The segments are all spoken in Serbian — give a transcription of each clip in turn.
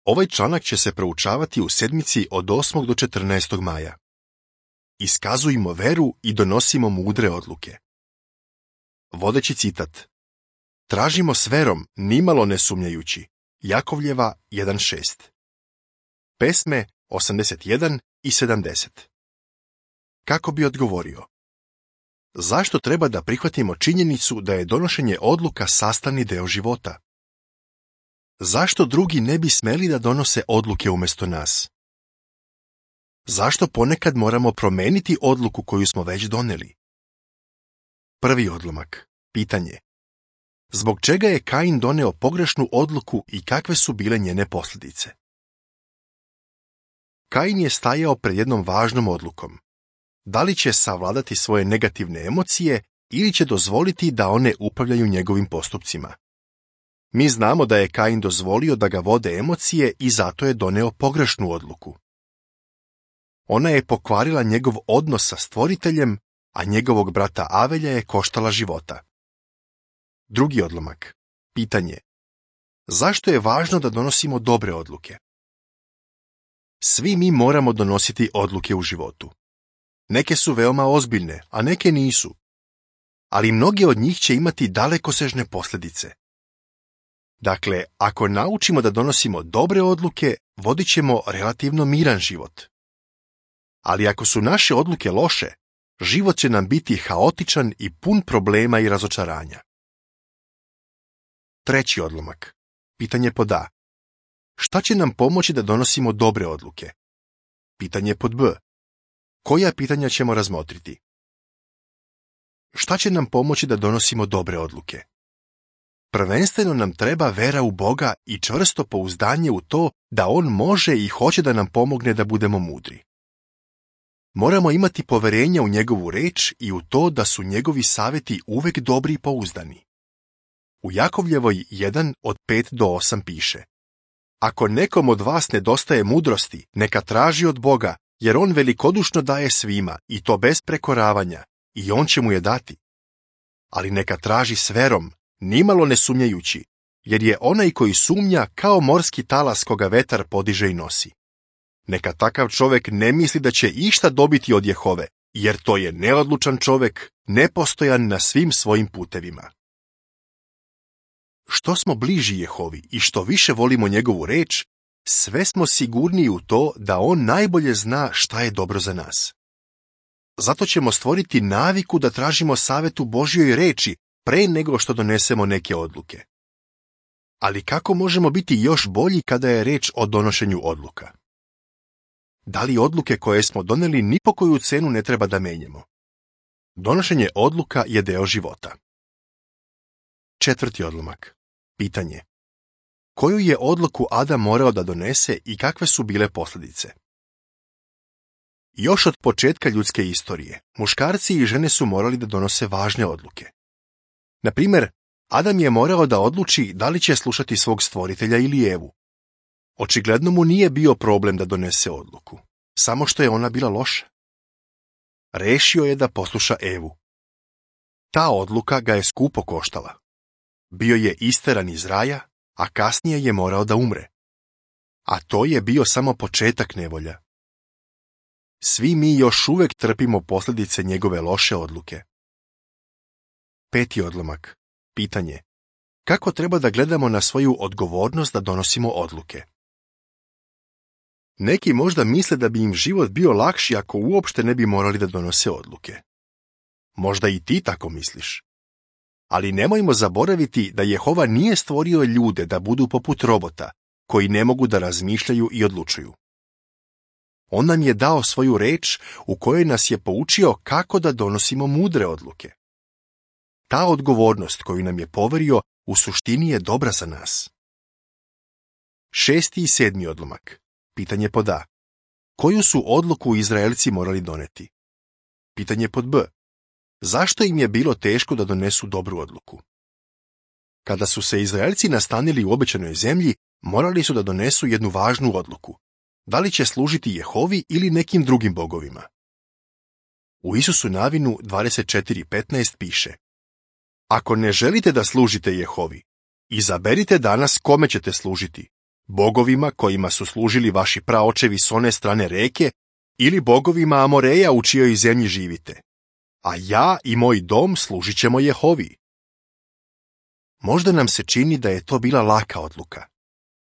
Ovaj članak će se proučavati u sedmici od 8. do 14. maja. Iskazujmo veru i donosimo mudre odluke. Vodeći citat. Tražimo s verom, nimalo ne sumnjajući. Jakovljeva 1.6. Pesme 81 i 70. Kako bi odgovorio? Zašto treba da prihvatimo činjenicu da je donošenje odluka sastavni deo života? Zašto drugi ne bi smeli da donose odluke umjesto nas? Zašto ponekad moramo promeniti odluku koju smo već doneli? Prvi odlomak. Pitanje. Zbog čega je Kain doneo pogrešnu odluku i kakve su bile njene posljedice? Kain je stajao pred jednom važnom odlukom. Da li će savladati svoje negativne emocije ili će dozvoliti da one upravljaju njegovim postupcima? Mi znamo da je Kain dozvolio da ga vode emocije i zato je doneo pogrešnu odluku. Ona je pokvarila njegov odnos sa Stvoriteljem, a njegovog brata Avelja je koštala života. Drugi odlomak. Pitanje. Zašto je važno da donosimo dobre odluke? Svi mi moramo donositi odluke u životu. Neke su veoma ozbiljne, a neke nisu. Ali mnoge od njih će imati dalekosežne posljedice. Dakle, ako naučimo da donosimo dobre odluke, vodit ćemo relativno miran život. Ali ako su naše odluke loše, život će nam biti haotičan i pun problema i razočaranja. Treći odlomak. Pitanje pod A. Šta će nam pomoći da donosimo dobre odluke? Pitanje pod B. Koja pitanja ćemo razmotriti? Šta će nam pomoći da donosimo dobre odluke? Prvenstveno nam treba vera u Boga i čvrsto pouzdanje u to da On može i hoće da nam pomogne da budemo mudri. Moramo imati poverenja u njegovu reč i u to da su njegovi savjeti uvek dobri i pouzdani. U Jakovljevoj 1 od 5 do 8 piše: Ako nekom od vas nedostaje mudrosti, neka traži od Boga, jer On velikodušno daje svima, i to bez prekoravanja, i On će mu je dati. Ali neka traži s verom, nimalo ne sumnjajući, jer je onaj koji sumnja kao morski talas koga vetar podiže i nosi. Neka takav čovek ne misli da će išta dobiti od Jehove, jer to je neodlučan čovek, nepostojan na svim svojim putevima. Što smo bliži Jehovi i što više volimo njegovu reč, sve smo sigurniji u to da On najbolje zna šta je dobro za nas. Zato ćemo stvoriti naviku da tražimo savjet u Božjoj reči pre nego što donesemo neke odluke. Ali kako možemo biti još bolji kada je reč o donošenju odluka? Da li odluke koje smo doneli ni po koju cenu ne treba da menjamo? Donošenje odluka je deo života. Četvrti odlomak. Pitanje. Koju je odluku Adam morao da donese i kakve su bile posljedice? Još od početka ljudske istorije, muškarci i žene su morali da donose važne odluke. Na primjer, Adam je morao da odluči da li će slušati svog stvoritelja ili Evu. Očigledno mu nije bio problem da donese odluku, samo što je ona bila loša. Rešio je da posluša Evu. Ta odluka ga je skupo koštala. Bio je isteran iz raja, a kasnije je morao da umre. A to je bio samo početak nevolja. Svi mi još uvek trpimo posljedice njegove loše odluke. Peti odlomak. Pitanje. Kako treba da gledamo na svoju odgovornost da donosimo odluke? Neki možda misle da bi im život bio lakši ako uopšte ne bi morali da donose odluke. Možda i ti tako misliš. Ali nemojmo zaboraviti da Jehova nije stvorio ljude da budu poput robota, koji ne mogu da razmišljaju i odlučuju. On nam je dao svoju reč u kojoj nas je poučio kako da donosimo mudre odluke. Ta odgovornost koju nam je poverio u suštini je dobra za nas. Šesti i sedmi odlomak. Pitanje pod A. Koju su odluku Izraelci morali doneti? Pitanje pod B. Zašto im je bilo teško da donesu dobru odluku? Kada su se Izraelci nastanili u obećanoj zemlji, morali su da donesu jednu važnu odluku. Da li će služiti Jehovi ili nekim drugim bogovima? U Isusu Navinu 24.15 piše: Ako ne želite da služite Jehovi, izaberite danas kome ćete služiti, bogovima kojima su služili vaši praočevi s one strane reke, ili bogovima Amoreja u čijoj zemlji živite, a ja i moj dom služit ćemo Jehovi. Možda nam se čini da je to bila laka odluka.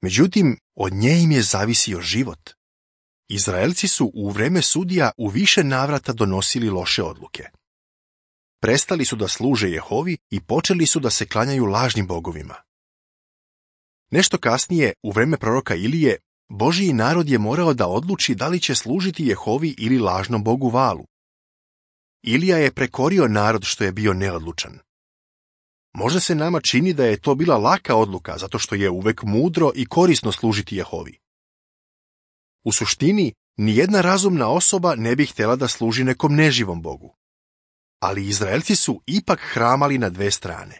Međutim, od nje im je zavisio život. Izraelci su u vreme sudija u više navrata donosili loše odluke. Prestali su da služe Jehovi i počeli su da se klanjaju lažnim bogovima. Nešto kasnije, u vreme proroka Ilije, Božji narod je morao da odluči da li će služiti Jehovi ili lažnom bogu Valu. Ilija je prekorio narod što je bio neodlučan. Možda se nama čini da je to bila laka odluka zato što je uvek mudro i korisno služiti Jehovi. U suštini, nijedna razumna osoba ne bi htjela da služi nekom neživom bogu. Ali Izraelci su ipak hramali na dve strane.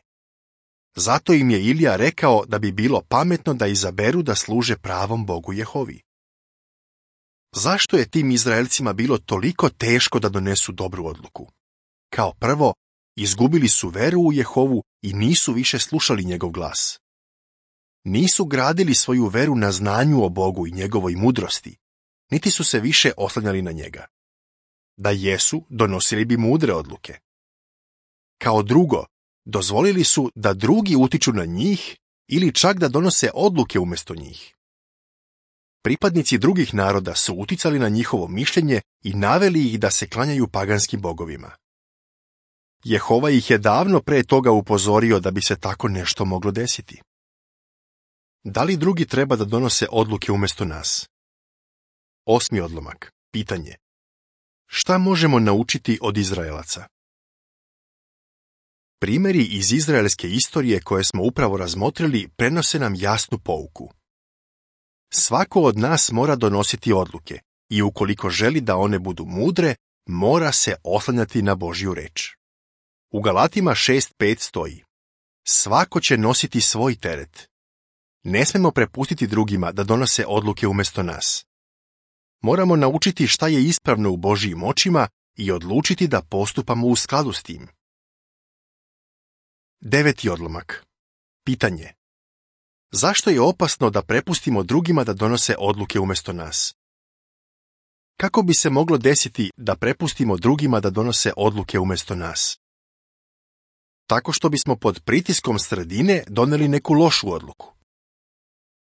Zato im je Ilija rekao da bi bilo pametno da izaberu da služe pravom Bogu Jehovi. Zašto je tim Izraelcima bilo toliko teško da donesu dobru odluku? Kao prvo, izgubili su veru u Jehovu i nisu više slušali njegov glas. Nisu gradili svoju veru na znanju o Bogu i njegovoj mudrosti, niti su se više oslanjali na njega. Da jesu, donosili bi mudre odluke. Kao drugo, dozvolili su da drugi utiču na njih ili čak da donose odluke umjesto njih. Pripadnici drugih naroda su uticali na njihovo mišljenje i naveli ih da se klanjaju paganskim bogovima. Jehova ih je davno pre toga upozorio da bi se tako nešto moglo desiti. Da li drugi treba da donose odluke umjesto nas? 8. odlomak. Pitanje. Šta možemo naučiti od Izraelaca? Primjeri iz izraelske istorije koje smo upravo razmotrili prenose nam jasnu pouku. Svako od nas mora donositi odluke i ukoliko želi da one budu mudre, mora se oslanjati na Božju reč. U Galatima 6.5 stoji: svako će nositi svoj teret. Ne smemo prepustiti drugima da donose odluke umjesto nas. Moramo naučiti šta je ispravno u Božjim očima i odlučiti da postupamo u skladu s tim. 9. odlomak. Pitanje. Zašto je opasno da prepustimo drugima da donose odluke umjesto nas? Kako bi se moglo desiti da prepustimo drugima da donose odluke umjesto nas? Tako što bismo pod pritiskom sredine doneli neku lošu odluku.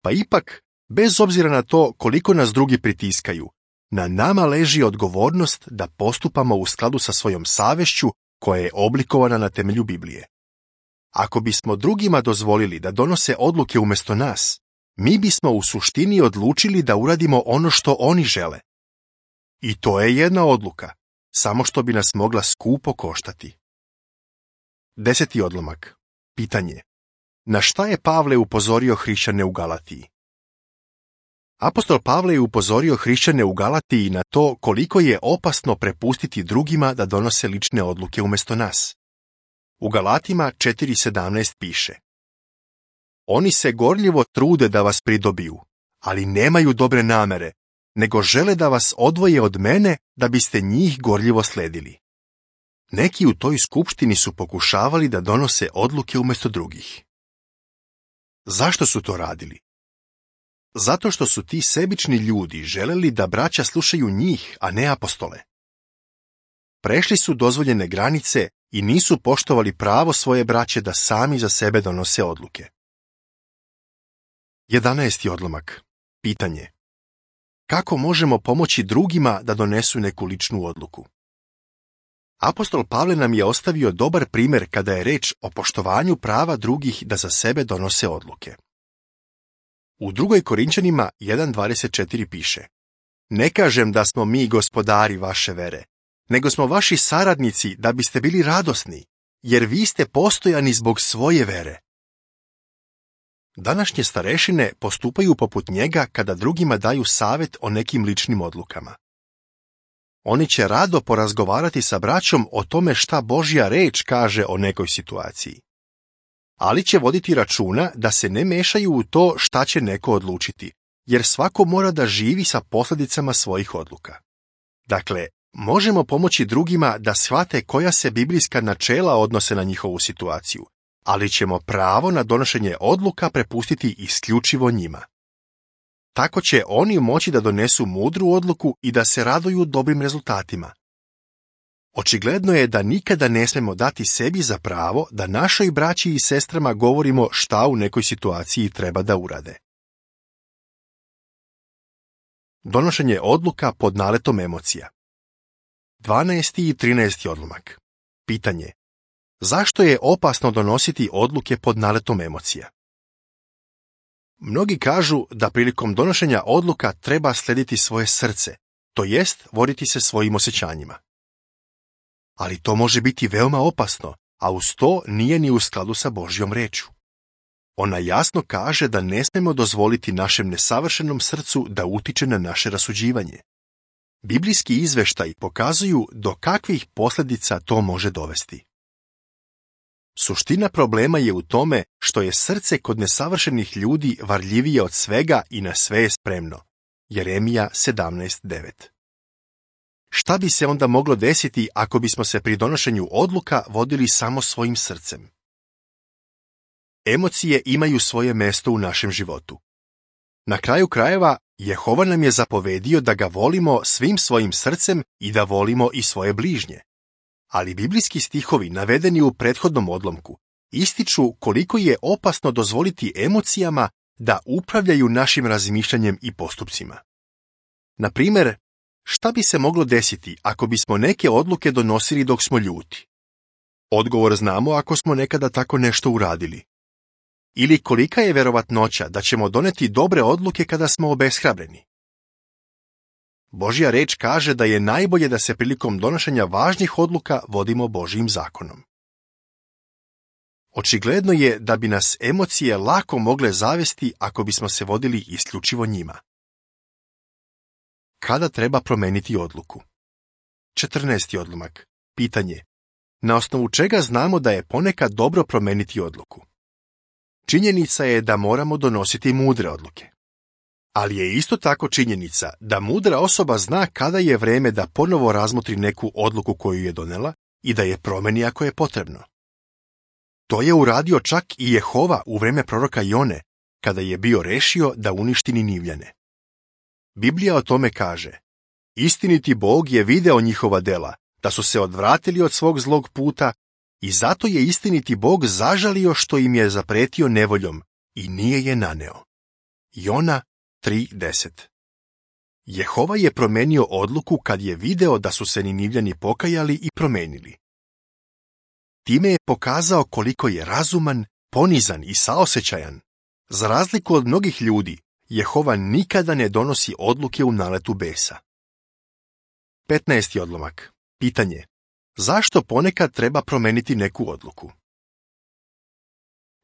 Pa ipak, bez obzira na to koliko nas drugi pritiskaju, na nama leži odgovornost da postupamo u skladu sa svojom savješću koja je oblikovana na temelju Biblije. Ako bismo drugima dozvolili da donose odluke umjesto nas, mi bismo u suštini odlučili da uradimo ono što oni žele. I to je jedna odluka, samo što bi nas mogla skupo koštati. 10. odlomak. Pitanje. Na šta je Pavle upozorio hrišćane u Galatiji? Apostol Pavle je upozorio hrišćane u Galatiji na to koliko je opasno prepustiti drugima da donose lične odluke umjesto nas. U Galatima 4.17 piše: oni se gorljivo trude da vas pridobiju, ali nemaju dobre namere, nego žele da vas odvoje od mene da biste njih gorljivo sledili. Neki u toj skupštini su pokušavali da donose odluke umjesto drugih. Zašto su to radili? Zato što su ti sebični ljudi želeli da braća slušaju njih, a ne apostole. Prešli su dozvoljene granice i nisu poštovali pravo svoje braće da sami za sebe donose odluke. 11. odlomak. Pitanje. Kako možemo pomoći drugima da donesu neku ličnu odluku? Apostol Pavle nam je ostavio dobar primjer kada je reč o poštovanju prava drugih da za sebe donose odluke. U 2. Korinčanima 1.24 piše: ne kažem da smo mi gospodari vaše vere, nego smo vaši saradnici da biste bili radosni, jer vi ste postojani zbog svoje vere. Današnje starešine postupaju poput njega kada drugima daju savjet o nekim ličnim odlukama. Oni će rado porazgovarati sa braćom o tome šta Božja reč kaže o nekoj situaciji. Ali će voditi računa da se ne mešaju u to šta će neko odlučiti, jer svako mora da živi sa posljedicama svojih odluka. Dakle, možemo pomoći drugima da shvate koja se biblijska načela odnose na njihovu situaciju, ali ćemo pravo na donošenje odluka prepustiti isključivo njima. Tako će oni moći da donesu mudru odluku i da se raduju dobrim rezultatima. Očigledno je da nikada ne smemo dati sebi za pravo da našoj braći i sestrama govorimo šta u nekoj situaciji treba da urade. Donošenje odluka pod naletom emocija. 12. i 13. odlomak. Pitanje. Zašto je opasno donositi odluke pod naletom emocija? Mnogi kažu da prilikom donošenja odluka treba slediti svoje srce, to jest voditi se svojim osjećanjima. Ali to može biti veoma opasno, a uz to nije ni u skladu sa Božjom rečju. Ona jasno kaže da ne smemo dozvoliti našem nesavršenom srcu da utiče na naše rasuđivanje. Biblijski izveštaji pokazuju do kakvih posljedica to može dovesti. Suština problema je u tome što je srce kod nesavršenih ljudi varljivije od svega i na sve je spremno. Jeremija 17:9. Šta bi se onda moglo desiti ako bismo se pri donošenju odluka vodili samo svojim srcem? Emocije imaju svoje mesto u našem životu. Na kraju krajeva, Jehova nam je zapovedio da ga volimo svim svojim srcem i da volimo i svoje bližnje. Ali biblijski stihovi navedeni u prethodnom odlomku ističu koliko je opasno dozvoliti emocijama da upravljaju našim razmišljanjem i postupcima. Na primjer, šta bi se moglo desiti ako bismo neke odluke donosili dok smo ljuti? Odgovor znamo ako smo nekada tako nešto uradili. Ili kolika je verovatnoća da ćemo doneti dobre odluke kada smo obeshrabreni? Božja reč kaže da je najbolje da se prilikom donošenja važnih odluka vodimo Božjim zakonom. Očigledno je da bi nas emocije lako mogle zavesti ako bismo se vodili isključivo njima. Kada treba promeniti odluku? 14. odlomak. Pitanje. Na osnovu čega znamo da je ponekad dobro promeniti odluku? Činjenica je da moramo donositi mudre odluke. Ali je isto tako činjenica da mudra osoba zna kada je vreme da ponovo razmotri neku odluku koju je donela i da je promeni ako je potrebno. To je uradio čak i Jehova u vreme proroka Jone, kada je bio rešio da uništi Ninivljane. Biblija o tome kaže: istiniti Bog je video njihova dela, da su se odvratili od svog zlog puta i zato je istiniti Bog zažalio što im je zapretio nevoljom i nije je naneo. Jona 3:10. Jehova je promenio odluku kad je video da su se Ninivljani pokajali i promenili. Time je pokazao koliko je razuman, ponizan i saosećajan. Za razliku od mnogih ljudi, Jehova nikada ne donosi odluke u naletu besa. 15. odlomak. Pitanje. Zašto ponekad treba promeniti neku odluku?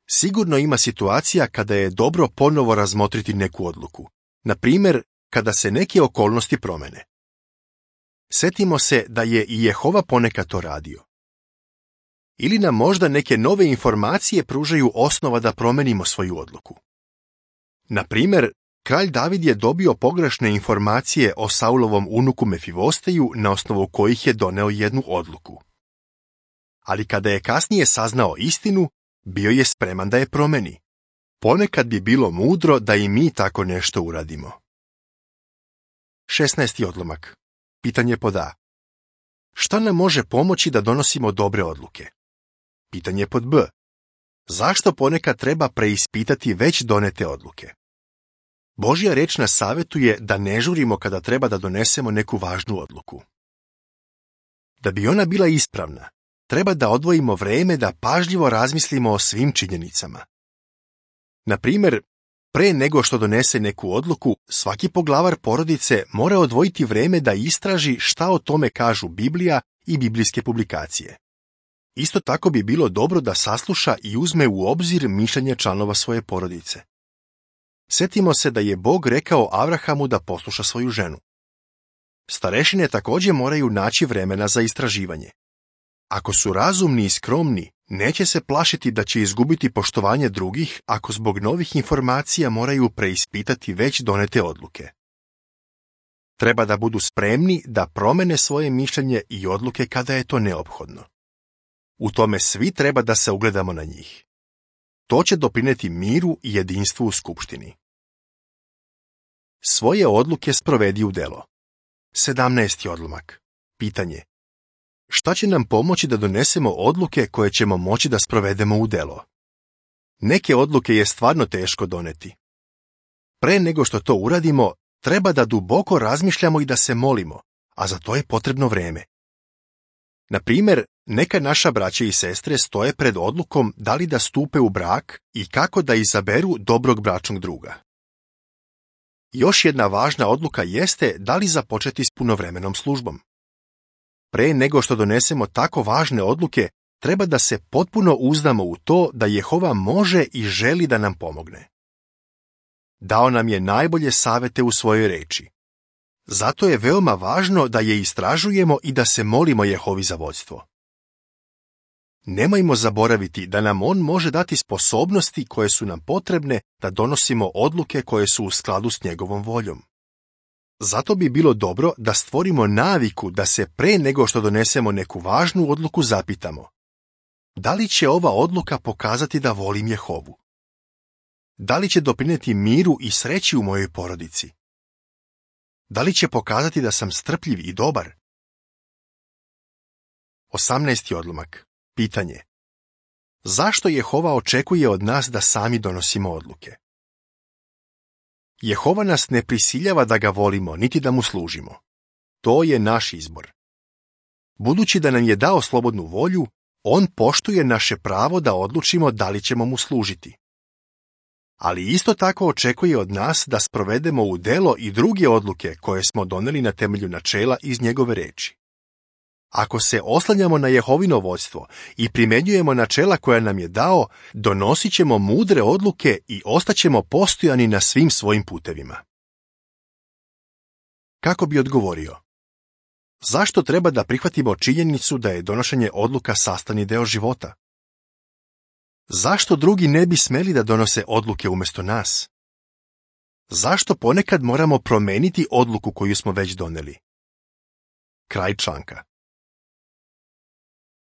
Sigurno ima situacija kada je dobro ponovo razmotriti neku odluku. Na primjer, kada se neke okolnosti promene. Setimo se da je i Jehova ponekad to radio. Ili nam možda neke nove informacije pružaju osnova da promenimo svoju odluku. Na primjer, kralj David je dobio pogrešne informacije o Saulovom unuku Mefivosteju na osnovu kojih je doneo jednu odluku. Ali kada je kasnije saznao istinu, bio je spreman da je promeni. Ponekad bi bilo mudro da i mi tako nešto uradimo. 16. odlomak. Pitanje pod A. Šta nam može pomoći da donosimo dobre odluke? Pitanje pod B. Zašto ponekad treba preispitati već donete odluke? Božja reč nas savjetuje da ne žurimo kada treba da donesemo neku važnu odluku. Da bi ona bila ispravna, treba da odvojimo vreme da pažljivo razmislimo o svim činjenicama. Na primjer, pre nego što donese neku odluku, svaki poglavar porodice mora odvojiti vreme da istraži šta o tome kažu Biblija i biblijske publikacije. Isto tako bi bilo dobro da sasluša i uzme u obzir mišljenje članova svoje porodice. Setimo se da je Bog rekao Avrahamu da posluša svoju ženu. Starešine također moraju naći vremena za istraživanje. Ako su razumni i skromni, neće se plašiti da će izgubiti poštovanje drugih ako zbog novih informacija moraju preispitati već donete odluke. Treba da budu spremni da promene svoje mišljenje i odluke kada je to neophodno. U tome svi treba da se ugledamo na njih. To će doprineti miru i jedinstvu u skupštini. Svoje odluke sprovedi u delo. 17. odlomak. Pitanje. Šta će nam pomoći da donesemo odluke koje ćemo moći da sprovedemo u delo? Neke odluke je stvarno teško doneti. Pre nego što to uradimo, treba da duboko razmišljamo i da se molimo, a za to je potrebno vreme. Na primjer, neka naša braća i sestre stoje pred odlukom da li da stupe u brak i kako da izaberu dobrog bračnog druga. Još jedna važna odluka jeste da li započeti s punovremenom službom. Pre nego što donesemo tako važne odluke, treba da se potpuno uzdamo u to da Jehova može i želi da nam pomogne. Dao nam je najbolje savete u svojoj reči. Zato je veoma važno da je istražujemo i da se molimo Jehovi za vodstvo. Nemojmo zaboraviti da nam On može dati sposobnosti koje su nam potrebne da donosimo odluke koje su u skladu s njegovom voljom. Zato bi bilo dobro da stvorimo naviku da se pre nego što donesemo neku važnu odluku zapitamo: da li će ova odluka pokazati da volim Jehovu? Da li će doprineti miru i sreći u mojoj porodici? Da li će pokazati da sam strpljiv i dobar? 18. odlomak. Pitanje. Zašto Jehova očekuje od nas da sami donosimo odluke? Jehova nas ne prisiljava da ga volimo, niti da mu služimo. To je naš izbor. Budući da nam je dao slobodnu volju, on poštuje naše pravo da odlučimo da li ćemo mu služiti. Ali isto tako očekuje od nas da sprovedemo u delo i druge odluke koje smo doneli na temelju načela iz njegove reči. Ako se oslanjamo na Jehovino vodstvo i primenjujemo načela koja nam je dao, donosit ćemo mudre odluke i ostaćemo postojani na svim svojim putevima. Kako bi odgovorio? Zašto treba da prihvatimo činjenicu da je donošenje odluka sastavni deo života? Zašto drugi ne bi smeli da donose odluke umjesto nas? Zašto ponekad moramo promeniti odluku koju smo već doneli? Kraj članka.